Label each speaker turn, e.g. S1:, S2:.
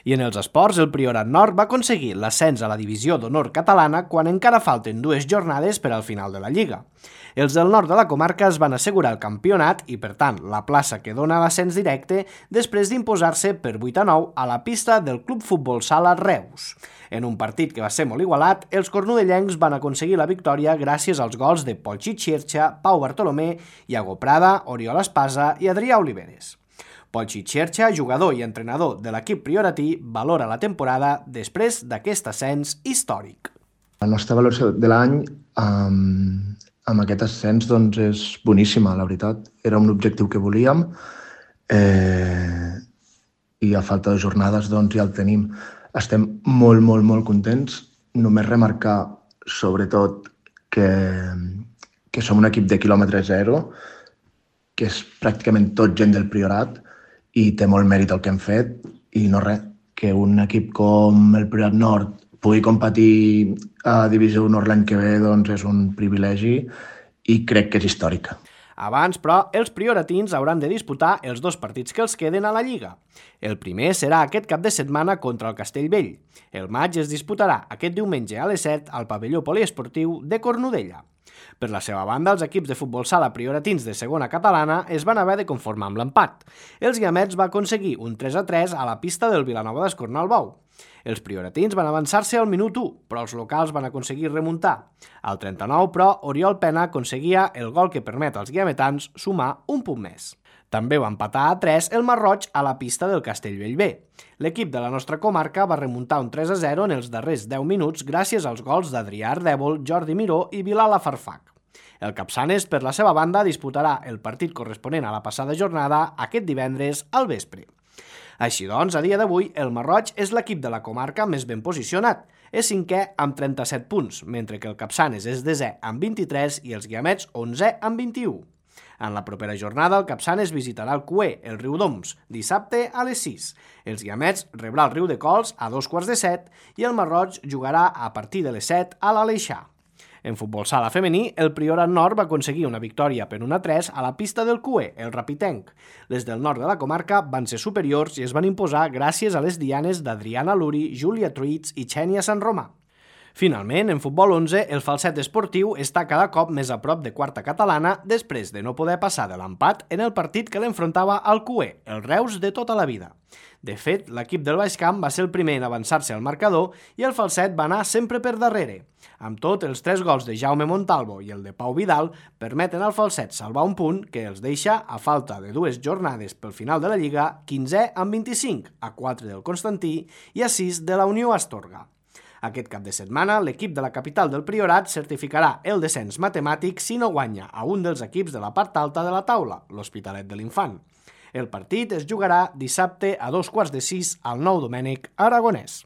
S1: I en els esports, el Priorat Nord va aconseguir l'ascens a la divisió d'honor catalana quan encara falten 2 jornades per al final de la Lliga. Els del nord de la comarca es van assegurar el campionat i, per tant, la plaça que dona l'ascens directe després d'imposar-se per 8-9 a la pista del Club Futbol Sala Reus. En un partit que va ser molt igualat, els cornudellencs van aconseguir la victòria gràcies als gols de Polchi Xerxa, Pau Bartolomé, Iago Prada, Oriol Espasa i Adrià Oliveres. Polchi Xerxa, jugador i entrenador de l'equip prioratí, valora la temporada després d'aquest ascens històric.
S2: La nostra valoració de l'any amb aquest ascens doncs, és boníssima, la veritat. Era un objectiu que volíem i a falta de jornades doncs, ja el tenim. Estem molt contents. Només remarcar, sobretot, que som un equip de quilòmetre zero, que és pràcticament tot gent del Priorat, i té molt mèrit el que hem fet, i no res, que un equip com el Priorat Nord pugui competir a Divisió Honor l'any que ve doncs és un privilegi i crec que és històrica.
S1: Abans, però, els prioratins hauran de disputar els 2 partits que els queden a la Lliga. El primer serà aquest cap de setmana contra el Castellvell. El maig es disputarà aquest diumenge a les 7 al pavelló poliesportiu de Cornudella. Per la seva banda, els equips de futbol sala prioratins de segona catalana es van haver de conformar amb l'empat. Els Guiamets va aconseguir un 3-3 a la pista del Vilanova d'Escornalbou. Els prioratins van avançar-se al minut 1, però els locals van aconseguir remuntar. Al 39, però, Oriol Pena aconseguia el gol que permet als guiametans sumar un punt més. També va empatar a 3 el Marroig a la pista del Castellvell B. L'equip de la nostra comarca va remuntar un 3-0 en els darrers 10 minuts gràcies als gols d'Adrià Ardèvol, Jordi Miró i Bilal Afarfach. El Capçanes, per la seva banda, disputarà el partit corresponent a la passada jornada aquest divendres al vespre. Així doncs, a dia d'avui, el Marroig és l'equip de la comarca més ben posicionat. És 5è amb 37 punts, mentre que el Capçanes és 10è amb 23 i els Guiamets 11è amb 21. En la propera jornada, el Capçanes visitarà el Cué, el Riudoms, dissabte a les 6. Els Guiamets rebrà el Riu de Cols a 2:15 i el Marroig jugarà a partir de les 7 a l'Aleixar. En futbol sala femení, el Priorat Nord va aconseguir una victòria per 1-3 a la pista del Cué, el Rapitenc. Les del nord de la comarca van ser superiors i es van imposar gràcies a les dianes d'Adriana Luri, Júlia Truits i Xènia Sant Romà. Finalment, en futbol 11, el Falset esportiu està cada cop més a prop de quarta catalana després de no poder passar de l'empat en el partit que l'enfrontava al Cué, el Reus de tota la vida. De fet, l'equip del Baix Camp va ser el primer en avançar-se al marcador i el Falset va anar sempre per darrere. Amb tot, els 3 gols de Jaume Montalvo i el de Pau Vidal permeten al Falset salvar un punt que els deixa, a falta de 2 jornades pel final de la Lliga, 15è amb 25, a 4 del Constantí i a 6 de la Unió Astorga. Aquest cap de setmana, l'equip de la capital del Priorat certificarà el descens matemàtic si no guanya a un dels equips de la part alta de la taula, l'Hospitalet de l'Infant. El partit es jugarà dissabte a 2:15 al Nou Domènec Aragonès.